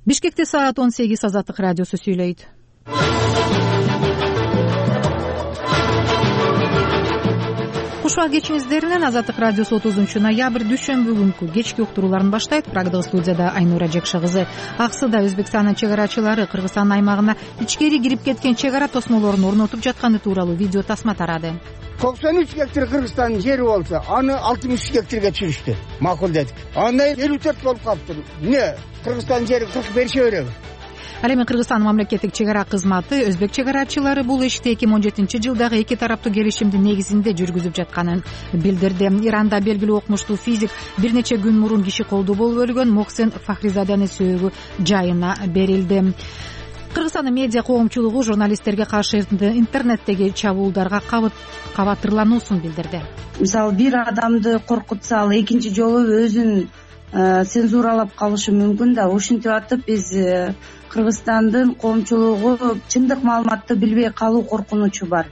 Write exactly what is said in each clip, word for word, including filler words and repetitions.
Бишкекте саат он сегиз. Азаттык радиосу сүйлөйт. Кушуа кечиңиздеринен Азаттык радиосу отузунчу ноябрь дүйшөмбү күнкү кечки уктурууларын баштайт. Программада студияда Айнура Жекша кызы. Аксыда Өзбекстандын чек арачылары Кыргызстан аймагына ичкери кирип кеткен чек ара тосмолорун орнотуп жатканы тууралуу видео тасма тарады. токсон үч гектар Кыргызстандын жери болсо, аны алтымыш үч гектарга түшүрүштү. Макул дедик. Андан элүү төрт болуп калыптыр. Эмне? Кыргызстандын жери кырк берише береби? Ал эми Кыргызстан мамлекеттик чек ара кызматы өзбек чек арачылары бул ишти эки миң он жетинчи жылдагы эки тараптуу келишимдин негизинде жүргүзүп жатканын билдирди. Иранда белгилүү окумуштуу физик бир нече күн мурун киши колдуу болуп өлгөн Моксен Фахризаданын сөөгү жайына берилди. Кыргызстандын медиа коомчулугу журналисттерге каршы интернеттеги чабуулдарга кабатырлануусун билдирди. Мисалы, бир адамды коркутса, ал экинчи жолу өзүн цензуралап калышы мүмкүн да. Ушинтип атып биз Кыргызстандын коомчулугу чындык маалыматты билбей калуу коркунучу бар.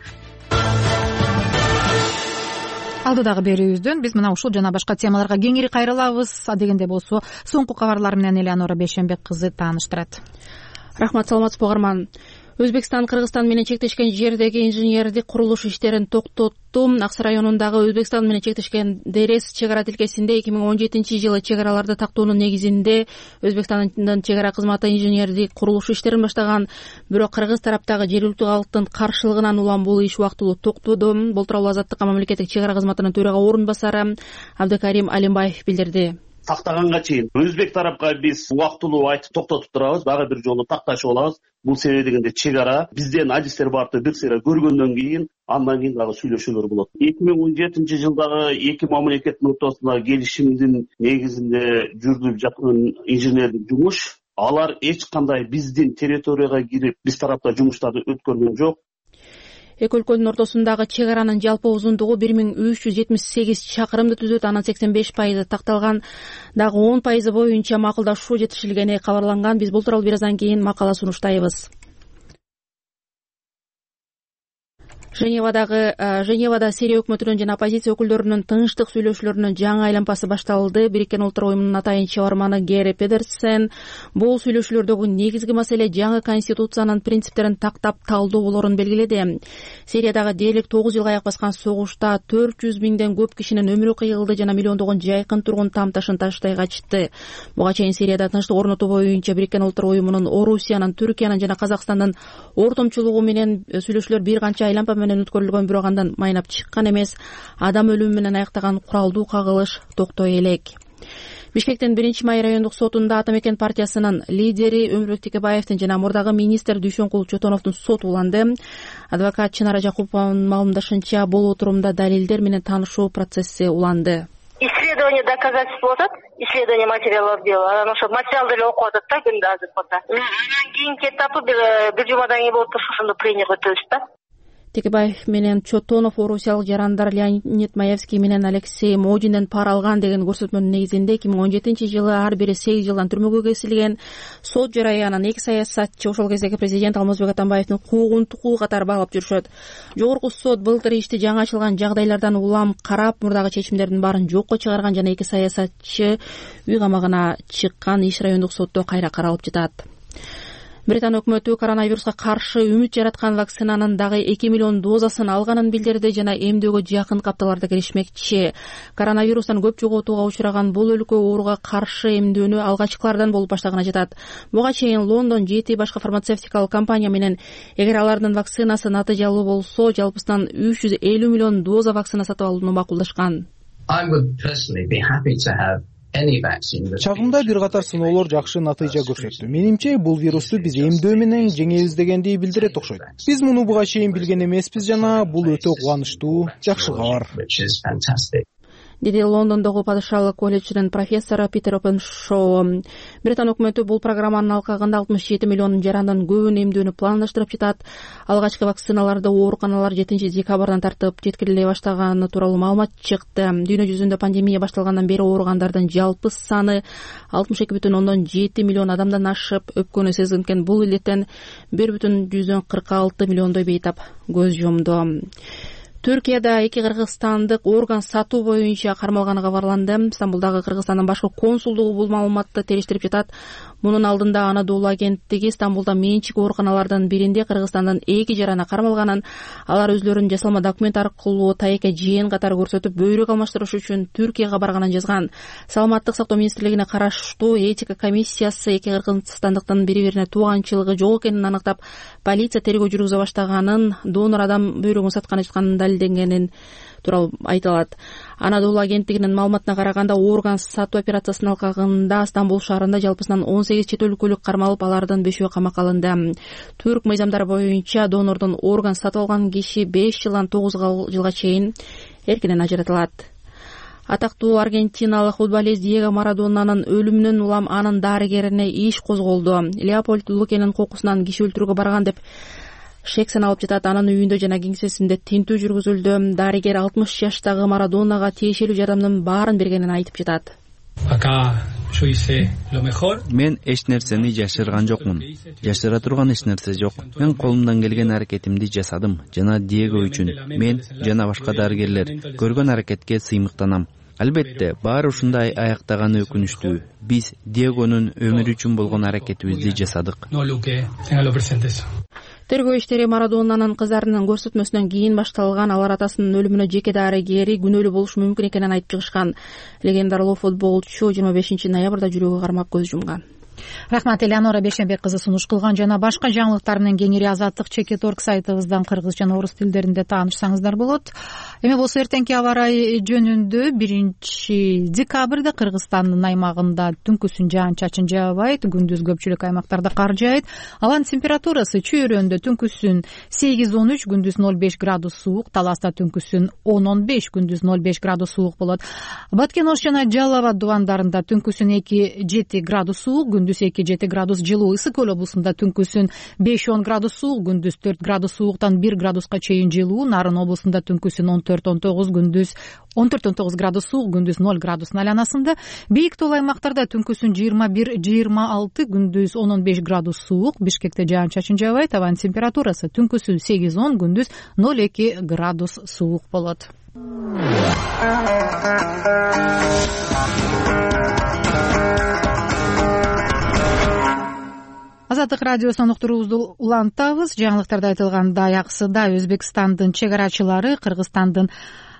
Алдыдагы берүүбүздөн биз мына ушул жана башка темаларга кеңири кайрылабыз. Адегенде болсо соңку кабарлар менен Элеонора Бейшенбек кызы тааныштырат. Рахмат, саламатсызбы угарман. Өзбекстан Кыргызстан менен чектешкен жердеги инженердик курулуш иштерин токтотту. Аксы районундагы Өзбекстан менен чектешкен Дерес чек ара тилкесинде эки миң он жетинчи жылы чек араларды тактоонун негизинде Өзбекстандын чек ара кызматы инженердик курулуш иштерин баштаган. Бирок кыргыз тараптагы жергиликтүү калктын каршылыгынан улам бул иш убактылуу токтоду. Бул тууралуу Азаттыкка мамлекеттик чек ара кызматынын төрага орун басары Абдыкарим Алимбаев билдирди. Тактаганга чейин өзбек тарапка биз убактылуу айтып токтотуп турабыз, дагы бир жолу такташып алабыз. Бул себеби дегенде чек ара бизден адистер барды бир сыйра көргөндөн кийин андан кийин дагы сүйлөшүүлөр болот. эки миң он жетинчи жылдагы эки мамлекеттин ортосундагы келишимдин негизинде жүргүзүлүп жаткан инженердик жумуш, алар эч кандай биздин территорияга кирип биз тарапта жумуштарды өткөргөн жок. Эки өлкөнүн ортосундагы чек аранын жалпы узундугу бир миң үч жүз жетимиш сегиз чакырымды түзөт. Анын сексен беш пайызы такталган, дагы он пайызы боюнча макулдашуу жетишилгени кабарланган. Биз бул тууралуу бир аздан кийин макала сунуштайбыз. Женевадагы Женевада Сирия өкмөтүнүн жана оппозиция өкүлдөрүнүн тынчтык сүйлөшүүлөрүнүн жаңы айланпасы башталды. Бириккен Улуттар уюмунун атайын чыгарманы Гери Педерсен бул сүйлөшүүлөрдөгү негизги маселе жаңы конституциянын принциптерин тактап талдоо болорун белгиледи. Сириядагы дээрлик тогуз жылга аяк баскан согушта төрт жүз миңден көп кишинин өмүрү кыйылды жана миллиондогон жайкын тургун там ташын таштай качты. Буга чейин Сирияда тынчтык орнотуу боюнча Бириккен Улуттар уюмунун Орусиянын, Түркиянын жана Казакстандын ортомчулугу менен сүйлөшүүлөр бир канча айланпа менен өткөрүлгөн, бирок андан майнап чыккан эмес. Адам өлүмү менен аяктаган куралдуу кагылыш токтой элек. Бишкектин биринчи май райондук сотунда Ата Мекен партиясынын лидери Өмүрбек Текебаевдин жана мурдагы министр Дүйшөнкул Чотоновдун соту уланды. Адвокат Чынара Жакупованын маалымдашынча, бул отурумда далилдер менен таанышуу процесси уланды. Исследование доказательств болот, исследование материалов дела. Анан ошо материалды эле окуп атат да күндө азыр фото. Анан кийинки этапы бир жумадан кийин болуп турса, ошондо пленерге өтөбүз да. Текебаев менен Чотонов орусиялык жарандар Леонид Маевский менен Алексей Модинден пара алган деген көрсөтмөнүн негизинде эки миң он жетинчи жылы ар бири сегиз жылдан түрмөгө кесилген. Сот жараянын эки саясатчы ошол кездеги президент Алмазбек Атамбаевдин куугунтугу катары баалап жүрүшөт. Жогорку сот былтыр ишти жаңы ачылган жагдайлардан улам карап, мурдагы чечимдердин баарын жокко чыгарган жана эки саясатчы үй камагына чыккан. Иш райондук сотто кайра каралып жатат. Британ өкмөтү коронавируска каршы үмүт жараткан вакцинанын дагы эки миллион дозасын алганын билдирди жана эмдөөгө жакын капталарда киришмекчи. Коронавирустан көп жоготууга учураган бул өлкө ооруга каршы эмдөөнү алгачкылардан болуп баштаганы жатат. Буга чейин Лондон жети башка фармацевтикалык компания менен эгер алардын вакцинасы натыйжалуу болсо, жалпысынан үч жүз элүү миллион доза вакцина сатып алууну макулдашкан. Чагымда бир катар сыноолор жакшы натыйжа көрсөттү. Менимче, бул вирусту биз эмдөө менен жеңебиз дегенди билдирет окшойт. Биз муну буга чейин билген эмеспиз жана бул өтө кубанычтуу, жакшы кабар. Деди Лондондогу падышалык колледжинин профессору Питер Опеншоу. Британ өкмөтү бул программанын алкагында алтымыш жети миллион жарандын көбүн эмдөөнү пландаштырып жатат. Алгачкы вакциналарды ооруканалар жетинчи декабрдан тартып жеткириле баштаганы тууралуу маалымат чыкты. Дүйнө жүзүндө пандемия башталгандан бери оорugandардын жалпы саны алтымыш эки бүтүн ондон жети миллион адамдан ашып, өпкөнү сезилген бул илеттен бир бүтүн жүздөн кырк алты миллиондой бейтап көз жумду. Түркияда эки кыргызстандык орган сатуу боюнча кармалганы кабарланды. Стамбулдагы Кыргызстандын башкы консулдугу бул маалыматты териштирип жатат. Мунун алдында Анадолу агенттиги Стамбулда менчик ооруканалардын биринде Кыргызстандын эки жарана кармалганын, алар өзлөрүнүн жасалма документ аркылуу тайека жээн катары көрсөтүп бөйрөк алмаштырыш үчүн Түркияга барганын жазган. Саламаттык сактоо министрлигине караштуу этика комиссиясы эки кыргызстандыктын бири-бирине тууганчылыгы жок экенин аныктап, полиция тергөө жүргүзө баштаганын, донор адам бөйрөгүн сатканы жатканын далилденгенин тууралуу айтылат. Анадолу агенттигинин маалыматына караганда, орган сатуу операциясынын алкагында Стамбул шаарында жалпысынан он сегиз чет өлкөлүк кармалып, алардын бешөө камакка алынды. Түрк мыйзамдары боюнча донордон орган сатып алган киши беш жылдан тогуз жылга чейин эркинен ажыратылат. Атактуу аргентиналык футболист Диего Марадонанын өлүмүнөн улам анын дарыгерине иш козголду. Леопольд Лукенин кокусунан киши өлтүрүүгө барган деп шек саналып жатат. Анын үйүндө жана кеңсесинде тинтүү жүргүзүлдү. Дарыгер алтымыш жаштагы Марадонага тиешелүү жардамдын баарын бергенин айтып жатат. Мен эч нерсени жашырган жокмун. Жашыра турган эч нерсе жок. Мен колумдан келген аракетимди жасадым жана Диего үчүн мен жана башка дарыгерлер көргөн аракетке сыймыктанам. Албетте, баары ушундай аяктаганы өкүнүчтүү. Биз Диегонун өмүрү үчүн болгон аракетибизди жасадык. Тергөө иштери Марадонанын кыздарынын көрсөтмөсүнөн кийин башталган. Алар атасынын өлүмүнө жеке дарыгери күнөөлүү болушу мүмкүн экенин айтып чыгышкан. Легендарлуу футболчу жыйырма бешинчи ноябрда жүрөгү кармап көз жумган. Рахмат, Элеонора Бешенбек кызы сунуш кылган. Жана башка жаңылыктар менен кеңири Азаттык чекит точка орг сайтыбыздан кыргыз жана орус тилдеринде таанышсаңыздар болот. Эми болсо эртеңки аба ырайы жөнүндө биринчи декабрда Кыргызстандын аймагында түнкүсүн жаан-чачын жаабайт, күндүз көпчүлүк аймактарда кар жаайт. Алан температурасы чүйөрөндө түнкүсүн сегиз он үч, күндүз ноль беш градус суук, Таласта түнкүсүн он он беш, күндүз ноль беш градус суук болот. Баткен Ош жана Жалал Абад дубандарында түнкүсүн эки жети градус суук, күндүз эки жети градус жылуу. Ысык Көл облусунда түнкүсүн беш он градус суук, күндүз төрт градус сууктан бир градуска чейин жылуу. Нарын облусунда түнкүсүн он төрт он тогуз, күндүз он төрт он тогуз градус суук, күндүз ноль градустун айланасында. Бийик тоол аймактарда түнкүсүн жыйырма бир жыйырма алты, күндүз он он беш градус суук. Бишкекте жаан-чачын жаабайт. Абанын температурасы түнкүсүн сегиз он, күндүз ноль эки градус суук болот. Азаттык радиосунун уктуруубузду улантабыз. Жаңылыктарда айтылгандай, аксыда Өзбекстандын чек арачылары Кыргызстандын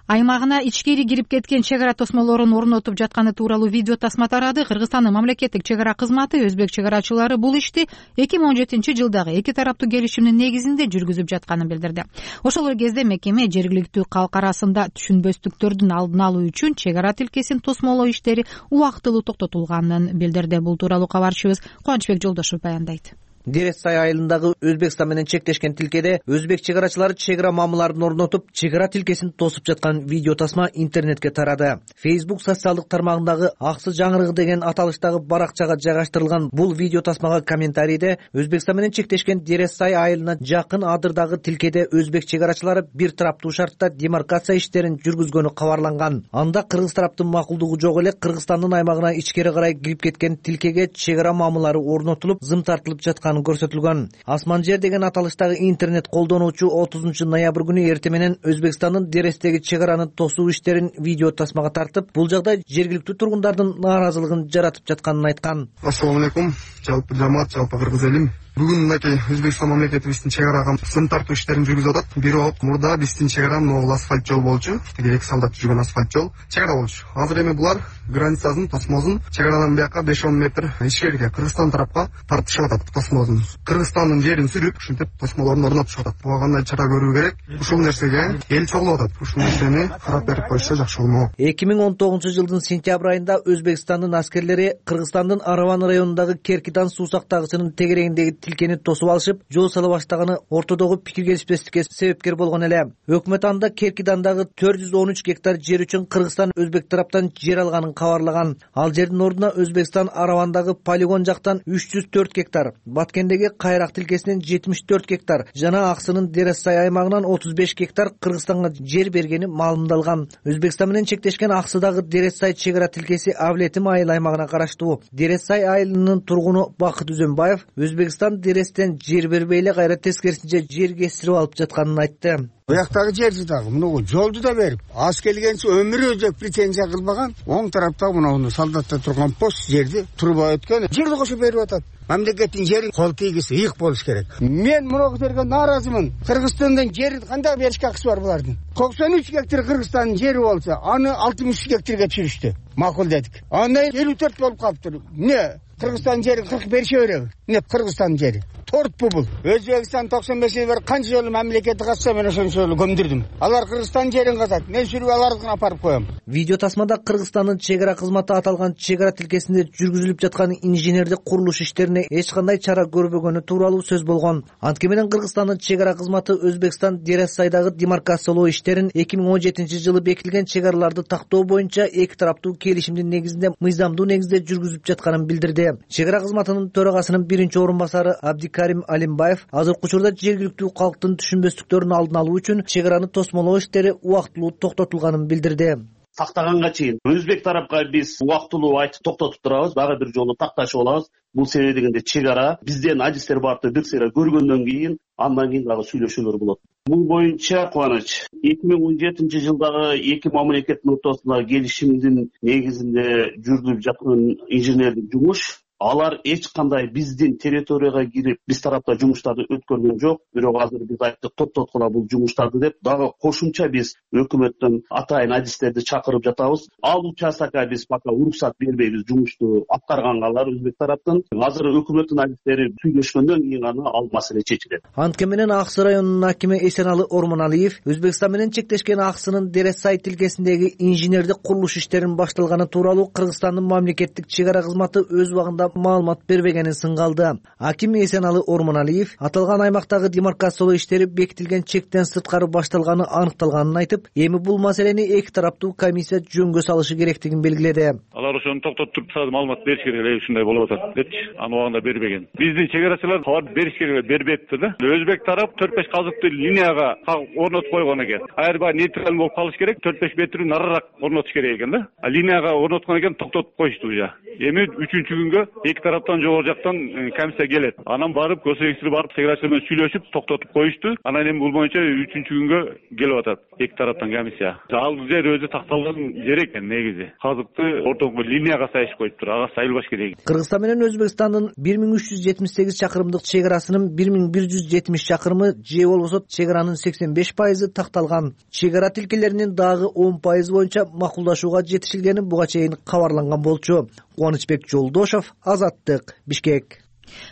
аймагына ичкери кирип кеткен чек ара тосмолорун орнотуп жатканы тууралуу видео тасма тарады. Кыргызстандын мамлекеттик чек ара кызматы өзбек чек арачылары бул ишти эки миң он жетинчи жылдагы эки тараптуу келишимдин негизинде жүргүзүп жатканын билдирди. Ошол кезде мекеме жергиликтүү калк арасында түшүнбөстүктөрдүн алдын алуу үчүн чек ара тилкесин тосмолоо иштери убактылуу токтотулганын билдирди. Бул тууралуу кабарчыбыз Кубанычбек Жолдошев баяндайт. Дересай айылындагы Өзбекстан менен чектешкен тилкеде өзбек чек арачылары чек ара мамыларын орнотуп, чек ара тилкесин тосуп жаткан видео тасма интернетке тарады. Facebook социалдык тармагындагы Аксы жаңырыгы деген аталыштагы баракчага жайгаштырылган бул видео тасмага комментарийде Өзбекстан менен чектешкен Дересай айылына жакын адырдагы тилкеде өзбек чек арачылары бир тараптуу шартта демаркация иштерин жүргүзгөнү кабарланган. Анда кыргыз тараптын макулдугу жок эле Кыргызстандын аймагына ичкери карай кирип кеткен тилкеге чек ара мамылары орнотулуп, зым тартылып жаткан көрсөтүлгөн. Асман жер деген аталыштагы интернет колдонуучу отузунчу ноябрь күнү эртең менен Өзбекстандын Дерестеги чек араны тосуу иштерин видео тасмага тартып, бул жагдай жергиликтүү тургундардын нааразылыгын жаратып жатканын айткан. Ассалому алейкум, жалпы жамаат, жалпы кыргыз элим. Бүгүн мынакей Өзбекстан мамлекетибиздин чек арага зым тартуу иштерин жүргүзүп атат. Бир оп мурда биздин чек ара могул асфальт жол болчу, тиги эки солдат жүргөн асфальт жол чек ара болчу. Азыр эми булар границасын, тосмосун чек арадан бияка беш он метр ичкериге Кыргызстан тарапка тартышып атат тосмосун. Кыргызстандын жерин сүрүп, ушинтип тосмолорун орнотушуп атат. Буга кандай чара көрүү керек? Ушул нерсеге эл чогулуп атат. Ушул нерсени карап берип коюшса жакшы болмок. эки миң он тогузунчу жылдын сентябрь айында Өзбекстандын аскерлери Кыргызстандын Араван районундагы Керкидан суу сактагычынын тегерегиндеги тилкени тосуп алышып, жол сала баштаганы ортодогу пикир келишпестикке себепкер болгон эле. Өкмөт анда Керкидандагы төрт жүз он үч гектар жер үчүн Кыргызстан өзбек тараптан жер алганын кабарлаган. Ал жердин ордуна Өзбекстан Аравандагы полигон жактан үч жүз төрт гектар, Баткендеги Кайрак тилкесинен жетимиш төрт гектар жана Аксынын Дересай аймагынан отуз беш гектар Кыргызстанга жер бергени маалымдалган. Өзбекстан менен чектешкен Аксыдагы Дересай чек ара тилкеси Авлетим айыл аймагына караштуу. Дересай айылынын тургуну Бакыт Үзөнбаев Өзбекстан Дерестен жер бербей эле кайра тескерисинче жер кестирип алып жатканын айтты. Бuyактагы жерди дагы муну жолду да берип, аз келгенче өмүрү өзү претензия кылбаган. Оң тарапта мына солдатта турган пост жерди турба өткөн. Жерди кошуп берип атат. Мамлекеттин жери кол тийгиси ыйык болуш керек. Мен муну жерге нааразымын. Кыргызстандын жери кандай беришке акысы бар булардын? токсон үч гектар Кыргызстандын жери болсо, аны алтымыш үч гектарга түшүрүштү. Макул дедик. Андан элүү төрт болуп калыптыр. Не? Кыргызстандын жерин кырк берише береби? Не Кыргызстандын жери? Тортпу бул? Өзбекстан токсон беш бир канча жолу мамлекетти катса мен ошончо жолу көмдүрдүм. Алар Кыргызстандын жерин катат. Мен сүрүп алардыкын апарып коем. Видео тасмада Кыргызстандын чек ара кызматы аталган чек ара тилкесинде жүргүзүлүп жаткан инженердик курулуш иштерине эч кандай чара көрбөгөнү тууралуу сөз болгон. Анткени менен Кыргызстандын чек ара кызматы Өзбекстан Дерасайдагы демаркациялоо иштерин эки миң он жетинчи жылы бекитилген чек араларды тактоо боюнча эки тараптуу келишимдин негизинде мыйзамдуу негизде жүргүзүп жатканын билдирди. Чек ара кызматынын төрагасынын биринчи орун басары Абдикарим Алимбаев азыркы учурда жергиликтүү калктын түшүнбөстүктөрүн алдын алуу үчүн чек араны тосмолоо иштери убактылуу токтотулганын билдирди. Тактаганга чейин өзбек тарапка биз убактылуу айтып токтотуп турабыз, дагы бир жолу такташып алабыз. Бул себеби дегенде чек ара бизден адистер барды бир сыйра көргөндөн кийин андан кийин дагы сүйлөшүүлөр болот. Бул боюнча Кубаныч эки миң он жетинчи жылдагы эки мамлекеттин ортосундагы келишимдин негизинде жүргүзүлүп жаткан инженердик жумуш, алар эч кандай биздин территорияга кирип, биз тарапта жумуштарды өткөргөн жок. Бирок азыр биз айттык токтоткула бул жумуштарды деп, дагы кошумча биз өкмөттөн атайын адистерди чакырып жатабыз. Ал участокко биз пока уруксат бербейбиз жумушту аткарганга алар өзбек тараптан. Азыр өкмөттүн адистери сүйлөшкөндөн кийин гана ал маселе чечилет. Анткени менен Аксы районунун акими Эсеналы Ормоналиев Өзбекстан менен чектешкен Аксынын Дересай тилкесиндеги инженердик курулуш иштеринин башталганы тууралуу Кыргызстандын мамлекеттик чек ара кызматы өз убагында маалымат бербегенин сынгалды. Аким Эсеналы Ормоналиев аталган аймактагы демаркациялоо иштери бекитилген чектен сырткары башталганы аныкталганын айтып, эми бул маселени эки тараптуу комиссия жөнгө салышы керектигин белгиледи. Алар ошону токтотуп маалымат бериш керек эле, ушундай болуп атат депчи, аны убагында бербеген. Биздин чек арачылар кабар бериш керек, бербепти да. Өзбек тарап төрт беш казыктуу линияга орнотуп койгон экен. Аяр баягы нейтраль болуп калыш керек, төрт беш метр нарыраак орнотуш керек экен да. А линияга орноткон экен, токтотуп коюшту уже. Эми үчүнчү күнгө эки тараптан жогору жактан комиссия келет. Анан барып көсөгүчтөр барып чек арачылар менен сүйлөшүп токтотуп коюшту. Анан эми бул боюнча үчүнчү күнгө келип атат эки тараптан комиссия. Ал жер өзү такталган жер экен негизи. Казыкты ортоңку линияга сайышып коюптур, ага сайылбаш керек. Кыргызстан менен Өзбекстандын бир миң үч жүз жетимиш сегиз чакырымдык чек арасынын бир миң бир жүз жетимиш чакырымы же болбосо чек аранын сексен беш пайызы такталган. Чек ара тилкелеринин дагы он пайызы боюнча макулдашууга жетишилгени буга чейин кабарланган болчу. Кубанычбек Жолдошов, Азаттык, Бишкек.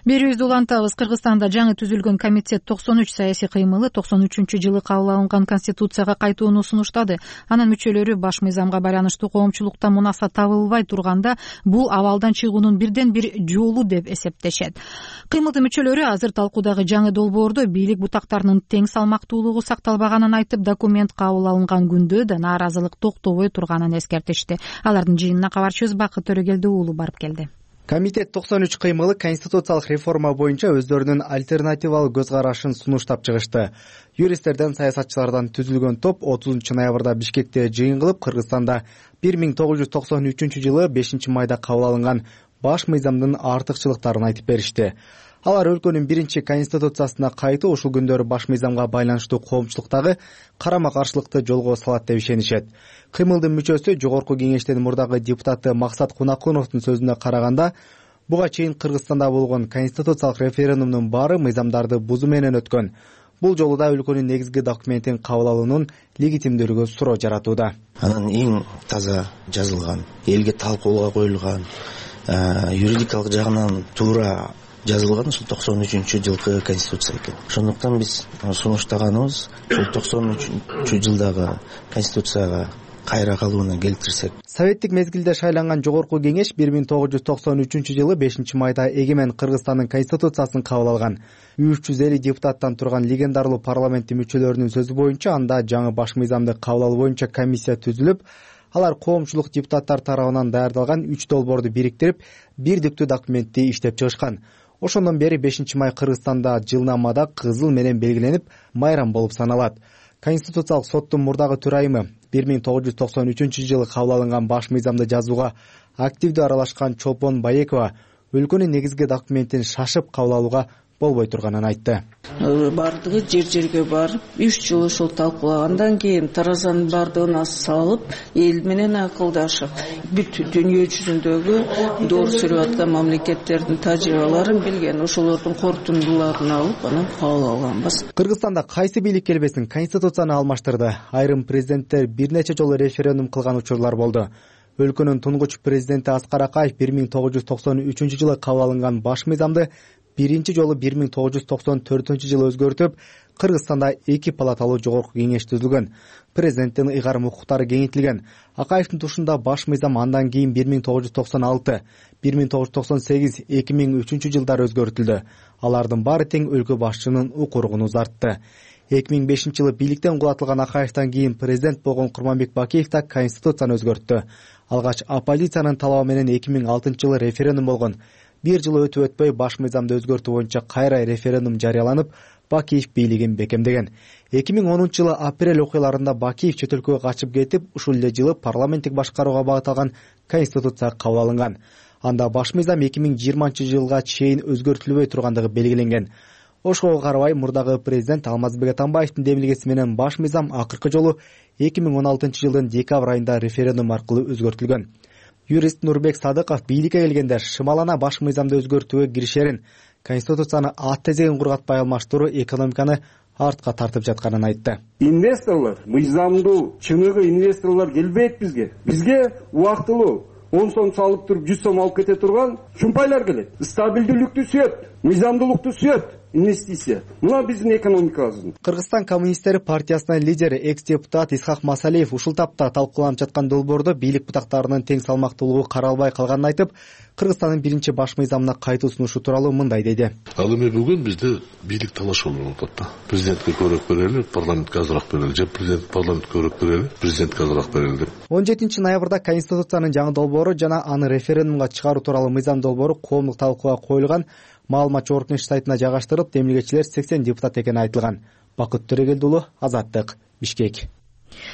Берүүбүздү улантабыз. Кыргызстанда жаңы түзүлгөн комитет токсон үч саясий кыймылы токсон үчүнчү жылы кабыл алынган конституцияга кайтууну сунуштады. Анын мүчөлөрү баш мыйзамга байланыштуу коомчулуктан мунаса табылбай турганда бул абалдан чыгуунун бирден бир жолу деп эсептешет. Кыймылдын мүчөлөрү азыр талкуудагы жаңы долбоордо бийлик бутактарынын тең салмактуулугу сакталбаганын айтып, документ кабыл алынган күндө да нааразылык токтобой турганын эскертишти. Алардын жыйынына кабарчыбыз Бакыт Төрөгелди уулу барып келди. Комитет токсон үч кыймылы конституциялык реформа боюнча өздөрүнүн альтернативалык көз карашын сунуштап чыгышты. Юристтерден, саясатчылардан түзүлгөн топ отузунчу ноябрда Бишкекте жыйын кылып, Кыргызстанда бир миң тогуз жүз токсон үчүнчү жылы бешинчи майда кабыл алынган баш мыйзамдын артыкчылыктарын айтып беришти. Алар өлкөнүн биринчи конституциясына кайтуу ушул күндөрү баш мыйзамга байланыштуу коомчулуктагы карама каршылыкты жолго салат деп ишенишет. Кыймылдын мүчөсү Жогорку кеңештин мурдагы депутаты Максат Кунакуновдун сөзүнө караганда, буга чейин Кыргызстанда болгон конституциялык референдумдун баары мыйзамдарды бузуу менен өткөн. Бул жолу да өлкөнүн негизги документин кабыл алуунун легитимдүүлүгү суроо жаратууда. Анын эң таза жазылган, элге талкууга коюлган, юридикалык жагынан туура жазылган ушул токсон үчүнчү жылкы конституция экен. Ошондуктан биз сунуштаганыбыз ушул токсон үчүнчү жылдагы конституцияга кайра калууна келтирсек. Советтик мезгилде шайланган Жогорку кеңеш бир миң тогуз жүз токсон үчүнчү жылы бешинчи майда эгемен Кыргызстандын конституциясын кабыл алган. үч жүз элүү депутаттан турган легендарлуу парламенттин мүчөлөрүнүн сөзү боюнча анда жаңы баш мыйзамды кабыл алуу боюнча комиссия түзүлүп, алар коомчулук депутаттар тарабынан даярдалган үч долбоорду бириктирип, бирдиктүү документти иштеп чыгышкан. Ошондон бери бешинчи май Кыргызстанда жылнамада кызыл менен белгиленип, майрам болуп саналат. Конституциялык соттун мурдагы төрайымы бир миң тогуз жүз токсон үчүнчү жылы кабыл алынган баш мыйзамды жазууга активдүү аралашкан Чолпон Баекова өлкөнүн негизги документин шашып кабыл алууга болбой турганын айтты. Бардыгы жер жерге барып үч жыл ошол талкуулагандан кийин таразанын бардыгын салып эл менен акылдашып бүт дүйнө жүзүндөгү доор сүрүп аткан мамлекеттердин тажрыйбаларын билген, ошолордун корутундуларын алып анан кабыл алганбыз. Кыргызстанда кайсы бийлик келбесин конституцияны алмаштырды. Айрым президенттер бир нече жолу референдум кылган учурлар болду. Өлкөнүн тунгуч президенти Аскар Акаев бир миң тогуз жүз токсон үчүнчү жылы кабыл алынган баш мыйзамды биринчи жолу бир миң тогуз жүз токсон төртүнчү жылы өзгөртүп, Кыргызстанда эки палаталуу жогорку кеңеш түзүлгөн. Президенттин ыйгарым укуктары кеңейтилген. Акаевдин тушунда баш мыйзам андан кийин бир миң тогуз жүз токсон алты, бир миң тогуз жүз токсон сегиз, эки миң үчүнчү жылдары өзгөртүлдү. Алардын баары тең өлкө башчынын укугун узартты. эки миң бешинчи жылы бийликтен кулатылган Акаевден кийин президент болгон Курманбек Бакиев да конституцияны өзгөрттү. Алгач оппозициянын талабы менен эки миң алтынчы жылы референдум болгон. Бир жыл өтүп өтпөй баш мыйзамды өзгөртүү боюнча кайра референдум жарыяланып, Бакиев бийлигин бекемдеген. эки миң онунчу жылы апрель окуяларында Бакиев чет өлкөгө качып кетип, ушул эле жылы парламенттик башкарууга багытталган конституция кабыл алынган. Анда баш мыйзам эки миң жыйырманчы жылга чейин өзгөртүлбөй тургандыгы белгиленген. Ошого карабай мурдагы президент Алмазбек Атамбаевдин демилгеси менен баш мыйзам акыркы жолу эки миң он алтынчы жылдын декабрь айында референдум аркылуу өзгөртүлгөн. Юрист Нурбек Садыков бийликке келгенде шымалана баш мыйзамды өзгөртүүгө киришерин, конституцияны ат тезегин кургатпай алмаштыруу экономиканы артка тартып жатканын айтты. Инвесторлор мыйзамдуу чыныгы инвесторлор келбейт бизге. Бизге убактылуу он сом салып туруп жүз сом алып кете турган чумпайлар келет. Стабилдүүлүктү сүйөт, мыйзамдуулукту сүйөт. Инвестиция. Мына биздин экономикабыздын. Кыргызстан коммунисттери партиясынын лидери экс-депутат Исхак Масалиев ушул тапта талкууланып жаткан долбоордо бийлик бутактарынын тең салмактуулугу каралбай калганын айтып, Кыргызстандын биринчи баш мыйзамына кайтуу сунушу тууралуу мындай деди. Ал эми бүгүн бизде бийлик талаш болуп атат. Президентке көбүрөөк берели, парламентке азыраак берели, же президент парламентке көбүрөөк берели, президентке азыраак берели деп. он жетинчи ноябрда конституциянын жаңы долбоору жана аны референдумга чыгаруу тууралуу мыйзам долбоору коомдук талкууга коюлган. Маалымат жогорку сайтына жайгаштырып, демилгечилер сексен депутат экени айтылган. Бакыт Төрөгелди уулу, Азаттык, Бишкек.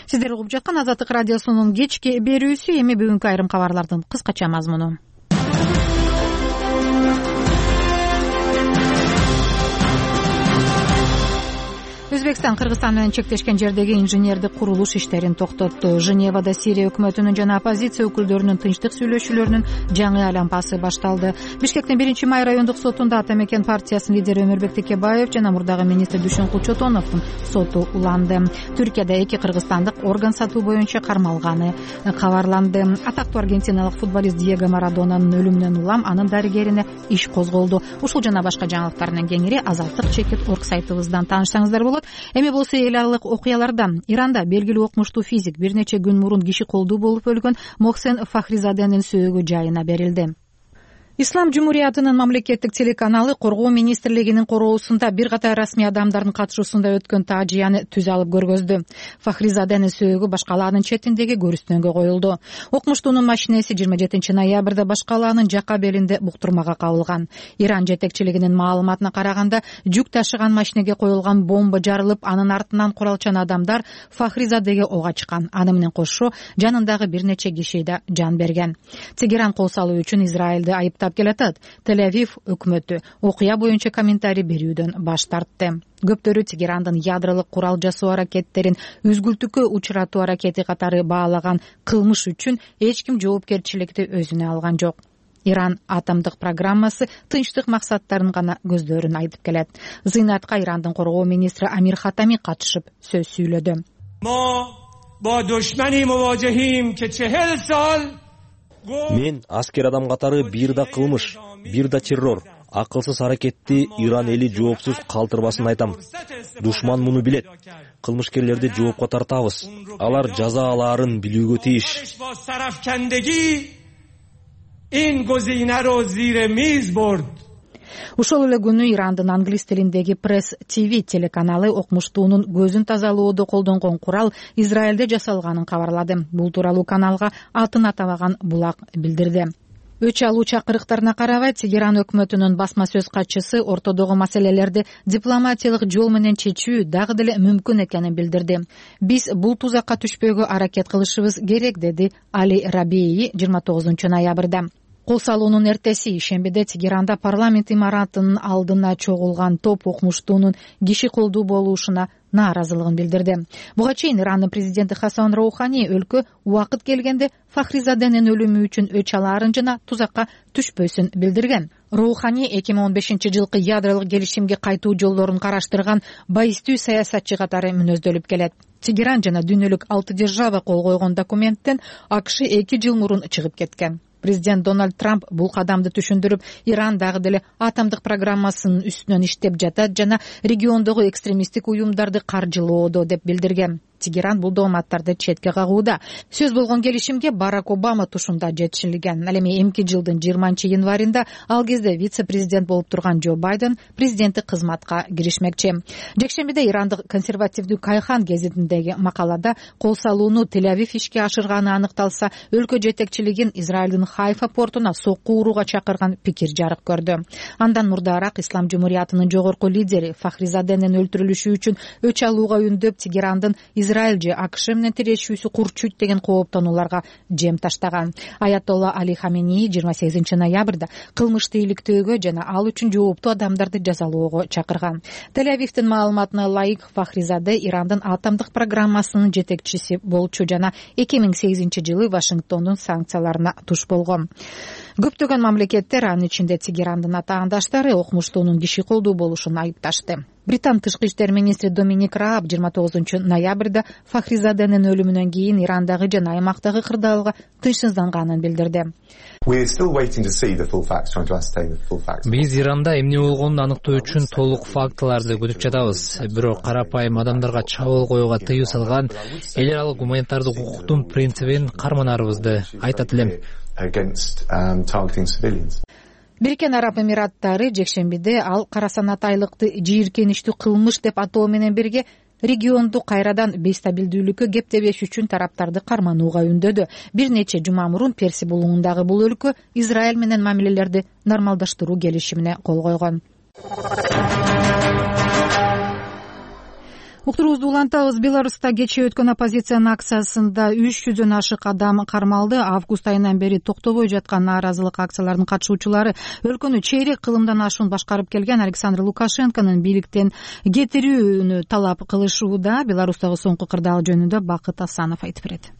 Сиздер угуп жаткан Азаттык радиосунун кечки берүүсү. Эми бүгүнкү айрым кабарлардын кыскача мазмуну. Өзбекстан Кыргызстан менен чектешкен жердеги инженердик курулуш иштерин токтотту. Женевада Сирия өкмөтүнүн жана оппозиция өкүлдөрүнүн тынчтык сүйлөшүүлөрүнүн жаңы айлампасы башталды. Бишкектин биринчи май райондук сотунда Ата Мекен партиясынын лидери Өмүрбек Текебаев жана мурдагы министр Дүйшөнкул Чотоновдун соту уланды. Түркияда эки кыргызстандык орган сатуу боюнча кармалганы кабарланды. Атактуу аргентиналык футболист Диего Марадонанын өлүмүнөн улам анын дарыгерине иш козголду. Ушул жана башка жаңылыктардын кеңири Азаттык чекит орг сайтыбыздан таанышсаңыздар болот. Эми болсо эл аралык окуялардан. Иранда белгилүү окумуштуу физик бир нече күн мурун киши колдуу болуп өлгөн Мохсен Фахризаденин сөөгү жайына берилди. Ислам Жумуриятынын мамлекеттик телеканалы Коргоо министрлигинин короосунда бир катар расмий адамдардын катышуусунда өткөн таажыяны түз алып көргөздү. Фахризаденин сөөгү Башкалаанын четиндеги көрүстөнгө коюлду. Окумуштуунун машинеси жыйырма жетинчи ноябрда Башкалаанын жака белинде буктурмага кабылган. Иран жетекчилигинин маалыматына караганда, жүк ташыган машинеге коюлган бомба жарылып, анын артынан куралчан адамдар Фахризадеге ок ачкан. Аны менен кошо жанындагы бир нече киши да жан берген. Тегеран кол салуу үчүн Израилди айыптап келатат. Тель-Авив өкмөтү окуя боюнча комментарий берүүдөн баш тартты. Көптөрү Тегерандын ядролук курал жасоо аракеттерин үзгүлтүккө учуратуу аракети катары баалаган кылмыш үчүн эч ким жоопкерчиликти өзүнө алган жок. Иран атомдук программасы тынчтык максаттарын гана көздөрүн айтып келет. Зыйнатка Ирандын коргоо министри Амир Хатами катышып сөз сүйлөдү. Мен аскер адам катары бир да кылмыш, бир да террор, акылсыз аракетти Иран эли жоопсуз калтырбасын айтам. Душман муну билет. Кылмышкерлерди жоопко тартабыз. Алар жаза алаарын билүүгө тийиш. Ушул эле күнү Ирандын англис тилиндеги Press ти ви телеканалы окумуштуунун көзүн тазалоодо колдонгон курал Израилде жасалганын кабарлады. Бул тууралуу каналга атын атабаган булак билдирди. Өч алуу чакырыктарына карабай, Тегеран өкмөтүнүн басма сөз катчысы ортодогу маселелерди дипломатиялык жол менен чечүү дагы деле мүмкүн экенин билдирди. Биз бул тузакка түшпөөгө аракет кылышыбыз керек, деди Али Рабеи жыйырма тогузунчу ноябрда. Кол салуунун эртеси ишембиде Тегеранда парламент имаратынын алдына чогулган топ окумуштуунун киши колдуу болушуна нааразылыгын билдирди. Буга чейин Ирандын президенти Хасан Роухани өлкө убакыт келгенде Фахризаденин өлүмү үчүн өч алаарын жана тузакка түшпөсүн билдирген. Роухани эки миң он бешинчи жылкы ядролук келишимге кайтуу жолдорун караштырган байыстуу саясатчы катары мүнөздөлүп келет. Тегеран жана дүйнөлүк алты держава кол койгон документтен АКШ эки жыл мурун чыгып кеткен. Президент Дональд Трамп бул кадамды түшүндүрүп, Иран дагы деле атомдук программасынын үстүнөн иштеп жатат жана региондогу экстремисттик уюмдарды каржылоодо деп билдирген. Тегеран бул дооматтарды четке кагууда. Сөз болгон келишимге Барак Обама тушунда жетишилген. Ал эми эмки жылдын жыйырманчы январында ал кезде вице-президент болуп турган Джо Байден президенттик кызматка киришмекчи. Жекшембиде Ирандык консервативдүү Кайхан гезитиндеги макалада кол салууну Тель-Авив ишке ашырганы аныкталса, өлкө жетекчилигин Израилдин Хайфа портуна сокку урууга чакырган пикир жарык көрдү. Андан мурдараак Ислам жумуриятынын жогорку лидери Фахризаденин өлтүрүлүшү үчүн өч алууга үндөп, Тегерандын Израиль же АКШ менен тирешүүсү курчуйт деген кооптонууларга жем таштаган. Аятолла Али Хамени жыйырма сегизинчи ноябрда кылмышты иликтөөгө жана ал үчүн жооптуу адамдарды жазалоого чакырган. Тель-Авивдин маалыматына ылайык, Фахризаде Ирандын атомдук программасынын жетекчиси болчу жана эки миң сегизинчи жылы Вашингтондун санкцияларына туш болгон. Көптөгөн мамлекеттер, анын ичинде Тегерандын атаандаштары, окумуштуунун киши колдуу болушун айыпташты. Британ тышкы иштер министри Доминик Рааб жыйырма тогузунчу ноябрда Фахризаденин өлүмүнөн кийин Ирандагы жана аймактагы кырдаалга тынчсызданганын билдирди. Биз Иранда эмне болгонун аныктоо үчүн толук фактыларды күтүп жатабыз. Бирок карапайым адамдарга чабуул коюуга тыюу салган эл аралык гуманитардык укуктун принцибин карманарыбызды айтат элем. Бириккен Араб Эмираттары жекшембиде ал карасанатайлыкты жийиркеничтүү кылмыш деп атоо менен бирге регионду кайрадан бейстабилдүүлүккө кептебеш үчүн тараптарды карманууга үндөдү. Бир нече жума мурун Перси булугундагы бул өлкө Израиль менен мамилелерди нормалдаштыруу келишимине кол койгон. Уктуруубузду улантабыз. Беларуста кечээ өткөн оппозициянын акциясында үч жүздөн ашык адам кармалды. Август айынан бери токтобой жаткан нааразылык акцияларынын катышуучулары өлкөнү чейрек кылымдан ашуун башкарып келген Александр Лукашенконун бийликтен кетирүүнү талап кылышууда. Беларустагы соңку кырдаал жөнүндө Бакыт Асанов айтып берет.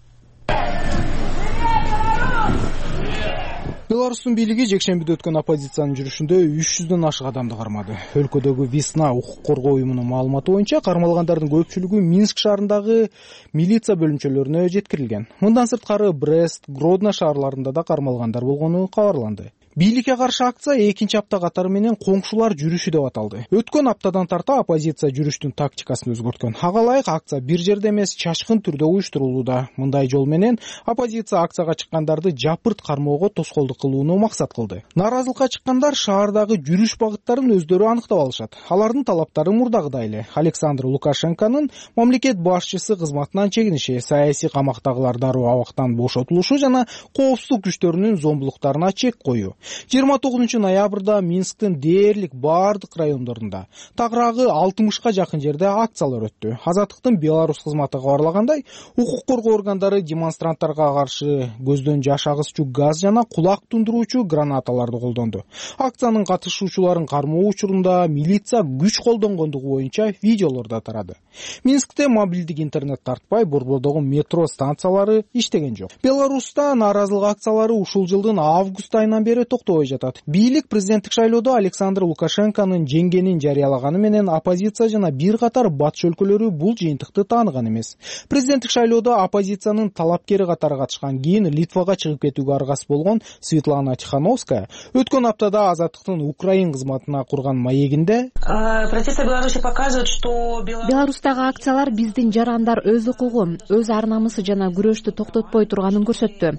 Беларустун бийлиги жекшембиде өткөн оппозициянын жүрүшүндө үч жүздөн ашык адамды кармады. Өлкөдөгү Весна укук коргоо уюмунун маалыматы боюнча кармалгандардын көпчүлүгү Минск шаарындагы милиция бөлүмчөлөрүнө жеткирилген. Мындан сырткары Брест, Гродно шаарларында да кармалгандар болгону кабарланды. Бийликке каршы акция экинчи апта катары менен коңшулар жүрүшү деп аталды. Өткөн аптадан тарта оппозиция жүрүштүн тактикасын өзгөрткөн. Ага ылайык акция бир жерде эмес, чачкын түрдө уюштурулууда. Мындай жол менен оппозиция акцияга чыккандарды жапырт кармоого тоскоолдук кылууну максат кылды. Нааразылыкка чыккандар шаардагы жүрүш багыттарын өздөрү аныктап алышат. Алардын талаптары мурдагыдай эле. Александр Лукашенконун мамлекет башчысы кызматынан чегиниши, саясий камактагылар дароо абактан бошотулушу жана коопсуздук күчтөрүнүн зомбулуктарына чек коюу. жыйырма тогузунчу ноябрда Минсктин дээрлик баардык райондорунда тагыраагы алтымышка жакын жерде акциялар өттү. Азаттыктын Беларусь кызматы кабарлагандай, укук коргоо органдары демонстранттарга каршы көздөн жаш агызчу газ жана кулак тундуруучу гранаталарды колдонду. Акциянын катышуучуларын кармоо учурунда милиция күч колдонгондугу боюнча видеолор да тарады. Минскте мобилдик интернет тартпай, борбордогу метро станциялары иштеген жок. Беларуста нааразылык акциялары ушул жылдын август айынан бери токтобой жатат. Бийлик президенттик шайлоодо Александр Лукашенконун жеңгенин жарыялаганы менен оппозиция жана бир катар батыш өлкөлөрү бул жыйынтыкты тааныган эмес. Президенттик шайлоодо оппозициянын талапкери катары катышкан, кийин Литвага чыгып кетүүгө аргасыз болгон Светлана Тихановская өткөн аптада Азаттыктын Украин кызматына курган маегинде протесты Беларуси показывают, что Беларустагы акциялар биздин жарандар өз укугу, өз ар намысы жана күрөштү токтотпой турганын көрсөттү.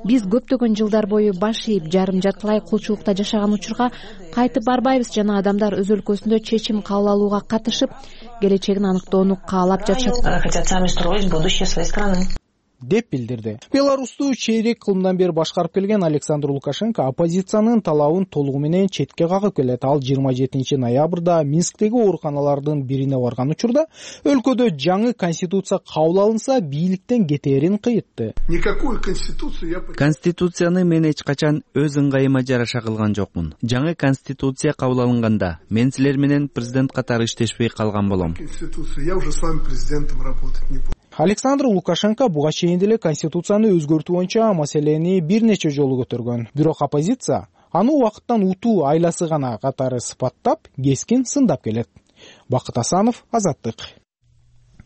Биз көптөгөн жылдар бою баш ийип, жарым жартылай кулчулукта жашаган учурга кайтып барбайбыз жана адамдар өз өлкөсүндө чечим кабыл алууга катышып, келечегин аныктоону каалап жатышат. деп билдирди. Беларусту чейрек кылымдан бери башкарып келген Александр Лукашенко оппозициянын талабын толугу менен четке кагып келет. Ал жыйырма жетинчи ноябрда Минсктеги ооруканалардын бирине барган учурда өлкөдө жаңы конституция кабыл алынса бийликтен кетээрин кыйытты. Конституцияны мен эч качан өз ыңгайыма жараша кылган жокмун. Жаңы конституция кабыл алынганда мен силер менен президент катары иштешпей калган болом. Александр Лукашенко буга чейин деле конституцияны өзгөртүү боюнча маселени бир нече жолу көтөргөн. Бирок оппозиция аны убакыттан утуу айласы гана катары сыпаттап, кескин сындап келет. Бакыт Асанов, Азаттык.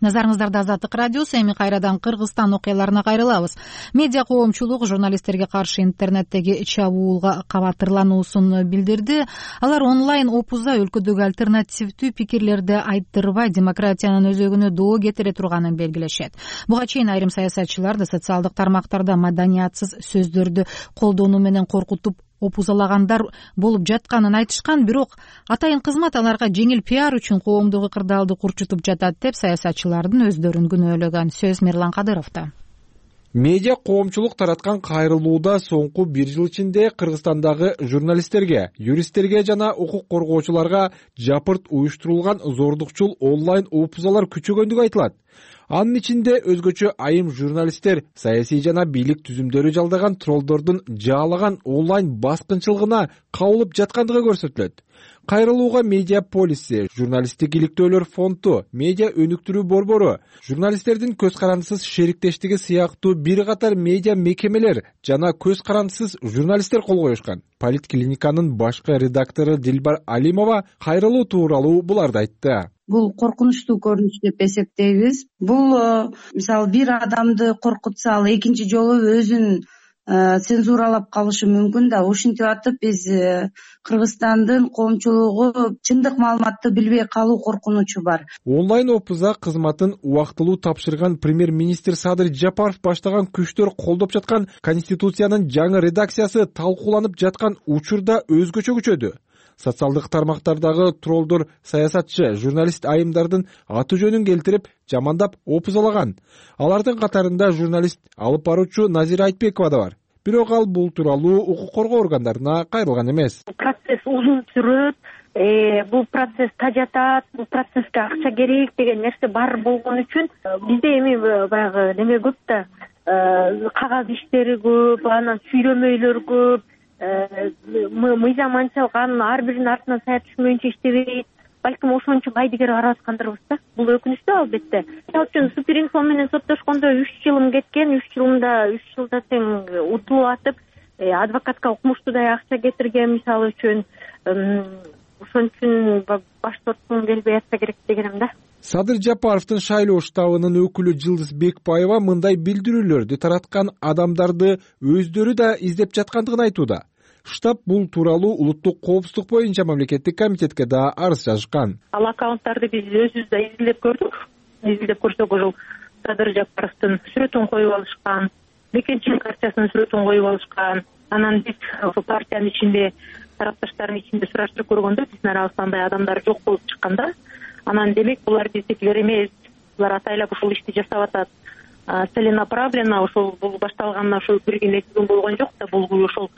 Назарыңыздарда Азаттык радиосу. Эми кайрадан Кыргызстан окуяларына кайрылабыз. Медиа коомчулук журналисттерге каршы интернеттеги чабуулга кабатырлануусун билдирди. Алар онлайн опузда өлкөдөгү альтернативдүү пикирлерди айттырбай демократиянын өзөгүнө доо кетире турганын белгилешет. Буга чейин айрым саясатчылар да социалдык тармактарда маданиятсыз сөздөрдү колдонуу менен коркутуп опузалагандар болуп жатканын айтышкан, бирок атайын кызмат аларга жеңил пиар үчүн коомдук ыкырдаалды курчутуп жатат деп саясатчылардын өздөрүн күнөөлөгөн. Сөз Мирлан Кадыровдо. Медиа коомчулук тараткан кайрылууда соңку бир жыл ичинде Кыргызстандагы журналисттерге, юристтерге жана укук коргоочуларга жапырт уюштурулган зордукчул онлайн опузалар күчөгөндүгү айтылат. Анын ичинде өзгөчө айым журналисттер саясий жана бийлик түзүмдөрү жалдаган троллдордун жаалаган онлайн баскынчылыгына кабылып жаткандыгы көрсөтүлөт. Кайрылууга медиа полиси, журналисттик иликтөөлөр фонду, медиа өнүктүрүү борбору, журналисттердин көз карандысыз шериктештиги сыяктуу бир катар медиа мекемелер жана көз карандысыз журналисттер кол коюшкан. Политклиниканын башкы редактору Дилбар Алимова кайрылуу тууралуу буларды айтты. Бул коркунучтуу көрүнүш деп эсептейбиз. Бул мисалы бир адамды коркутса, ал экинчи жолу өзүн цензуралап калышы мүмкүн да. Ушинтип атып биз Кыргызстандын коомчулугу чындык маалыматты билбей калуу коркунучу бар. Онлайн опуза кызматын убактылуу тапшырган премьер-министр Садыр Жапаров баштаган күчтөр колдоп жаткан конституциянын жаңы редакциясы талкууланып жаткан учурда өзгөчө күчөдү. Социалдык тармактардагы троллдор саясатчы, журналист айымдардын аты жөнүн келтирип, жамандап опузалаган. Алардын катарында журналист алып баруучу Назира Айтбекова да бар. Бирок ал бул тууралуу укук коргоо органдарына кайрылган эмес. Процесс узун сүрөт, бул процесс тажатат, бул процесске акча керек деген нерсе бар болгон үчүн бизде эми баягы неме көп да, кагаз иштери көп, анан сүйлөмөйлөр көп. Мыйзам анчалган, ар биринин артынан сая түшмөйүнчө иштебейт. Балким ошончо байдыгер карап аткандырбыз да. Бул өкүнүчтүү албетте. Мисалы үчүн Суперинфо менен соттошкондо үч жылым кеткен, үч жылымда үч жылда тең утулуп атып, адвокатка укмуштуудай акча кетирген мисалы үчүн. Ошон үчүн баш тоткум келбей атса керек дегеним да. Садыр Жапаровдун шайлоо штабынын өкүлү Жылдыз Бекбаева мындай билдирүүлөрдү тараткан адамдарды өздөрү да издеп жаткандыгын айтууда. Штаб бул тууралуу улуттук коопсуздук боюнча мамлекеттик комитетке да арыз жазышкан. Ал аккаунттарды биз өзүбүз да изилдеп көрдүк. Изилдеп көрсөк, ошол Садыр Жапаровдун сүрөтүн коюп алышкан, Бекенчин партиясынын сүрөтүн коюп алышкан. Анан биз ошол партиянын ичинде, тарапташтардын ичинде сураштырып көргөндө биздин арабызда андай адамдар жок болуп чыкканда, анан демек булар биздикилер эмес, булар атайлап ушул ишти жасап атат. Целенаправленно ошол бул башталганына ошол бир күн эки күн болгон жок да, бул ошол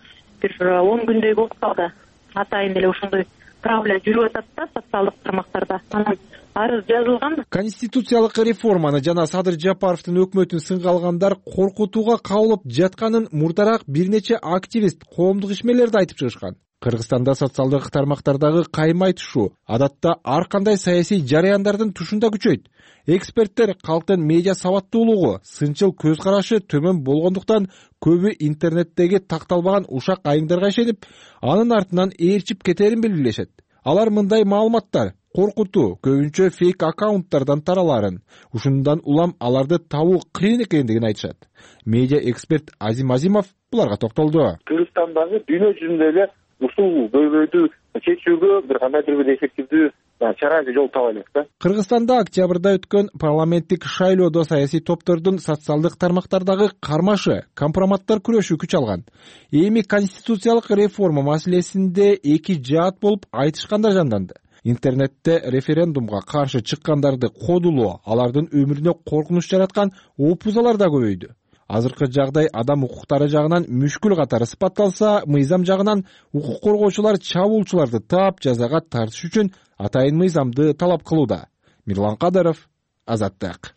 бир он күндөй болуп калды. Атайын эле ошондой правила жүрүп атат да социалдык тармактарда. Анан арыз жазылган. Конституциялык реформаны жана Садыр Жапаровдун өкмөтүн сынга алгандар коркутууга кабылып жатканын мурдараак бир нече активист коомдук ишмерлерди айтып чыгышкан. Кыргызстанда социалдык тармактардагы каймай түшүү адатта ар кандай саясий жараяндардын тушунда күчөйт. Эксперттер калктын медиа сабаттуулугу, сынчыл көз карашы төмөн болгондуктан көбү интернеттеги такталбаган ушак айымдарга ишенип, анын артынан ээрчип кетерин белгилешет. Алар мындай маалыматтар коркутуу, көбүнчө фейк аккаунттардан тараларын, ушундан улам аларды табуу кыйын экендигин айтышат. Медиа эксперт Азим Азимов буларга токтолду. Кыргызстандагы дүйнө жүзүндө эле ушул көйгөйдү чечүүгө бир кандайдыр бир эффективдүү чара жол таба элек да. Кыргызстанда октябрда өткөн парламенттик шайлоодо саясий топтордун социалдык тармактардагы кармашы, компроматтар күрөшүү күч алган. Эми конституциялык реформа маселесинде эки жаат болуп айтышкандар жанданды. Интернетте референдумга каршы чыккандарды кодулоо, алардын өмүрүнө коркунуч жараткан опузалар да көбөйдү. азыркы жагдай адам укуктары жагынан мүшкүл катары сыпатталса, мыйзам жагынан укук коргоочулар чабуулчуларды таап жазага тартыш үчүн атайын мыйзамды талап кылууда. Мирлан Кадыров, Азаттык.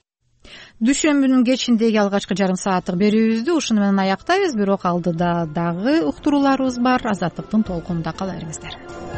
Дүйшөмбүнүн кечиндеги алгачкы жарым сааттык берүүбүздү ушуну менен аяктайбыз, бирок алдыда дагы уктурууларыбыз бар. Азаттыктын толкунунда кала бериңиздер.